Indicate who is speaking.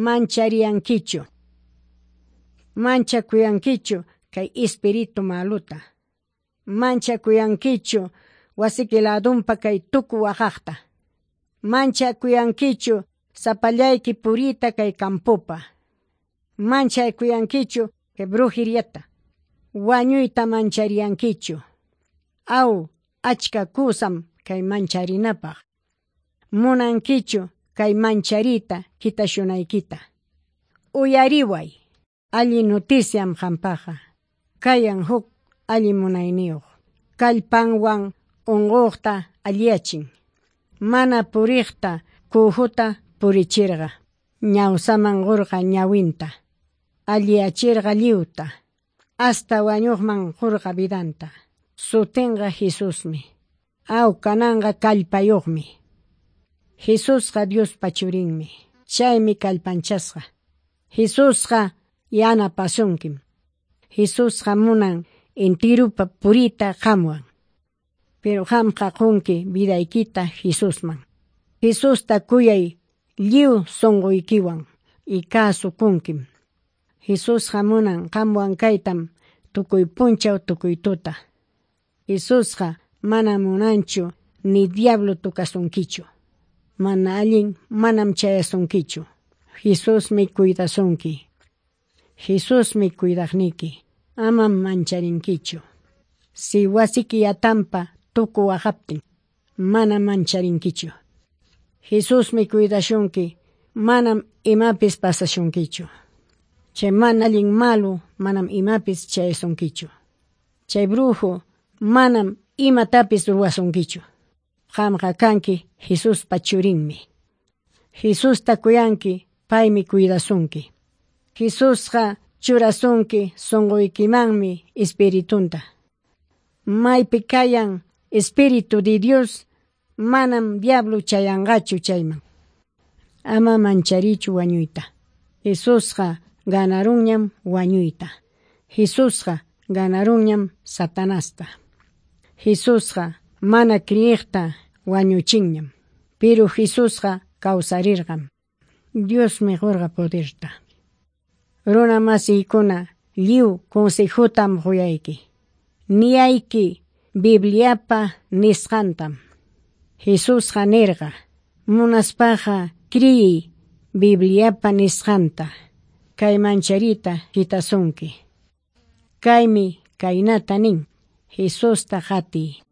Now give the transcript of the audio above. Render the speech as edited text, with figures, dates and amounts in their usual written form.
Speaker 1: manchariyankichu. Manchakuyankichu kay espíritu maluta. Manchakuyankichu wasiki ladunpa kay tuku waqaqta. Manchakuyankichu sapallayki purita kay campopa. Manchakuyankichu kay brujeriata. Wañuyta manchariyankichu. Aw achka kusam kay mancharinapaq. Munankichu kay mancharita kitashunaykita. Uyariway, alli noticiam qampaqa. Kayan huk alli munayniyuq. Kallpanwan unquqta alliyachin. Mana puriqta kuhuta purichirqa. Ñawsaman qurqa ñawinta. Alliyachirqa lliwta. Hasta wañuqman qurqa vidanta. Sutinqa Jesusmi. Aw kananqa kallpayuqmi. Jesusqa Diospa churinmi. Chaymi kallpanchasqa. Jesusqa yanapasunkim. Jesusqa munan intirupa purita qamwan. Pero qamqa qunki vidaykita Jesusman. Jesusta kuyay lliw sunquykiwan y kasukunkim. Jesusqa munan qamwan kaytam tukuy punchaw tukuy tuta. Jesusqa mana munanchu ni diablo tukasunkichu. Mana allin manam chayasunkichu. Jesusmi cuidasunki. Jesusmi cuidaqniki. Amam mancharinkichu. Si wasiki yatampa tuku waqaptin, mana mancharinkichu. Jesusmi cuidashunki, manam imapis pasashunkichu. Chay mana allin malu manam imapis chayasunkichu. Chay brujo manam imatapis ruwasunkichu. Qamqa kanki Jesuspa churinmi. Jesusta kuyanki, paymi cuidasunki. Jesusqa churasunki sunquykimanmi espiritunta. Maypi kayan espíritu de Dios, manam diablo chayanqachu chayman. Ama mancharichu wañuyta. Jesusqa ganarunñam wañuyta. Jesusqa ganarunñam Satanasta. Jesusqa mana kriyiqta wañuchinñam. Pero Jesusqa kawsarirqam. Diosmi qurqa poderta. Runa masiykuna lliw consejotam quyayki. Niyayki Bibliapa nisqantam. Jesusqa nirqa, munaspaqa kriyiy Bibliapa nisqanta. Kay mancharita kitasunki. Kaymi kaynata nin, Jesusta qatiy.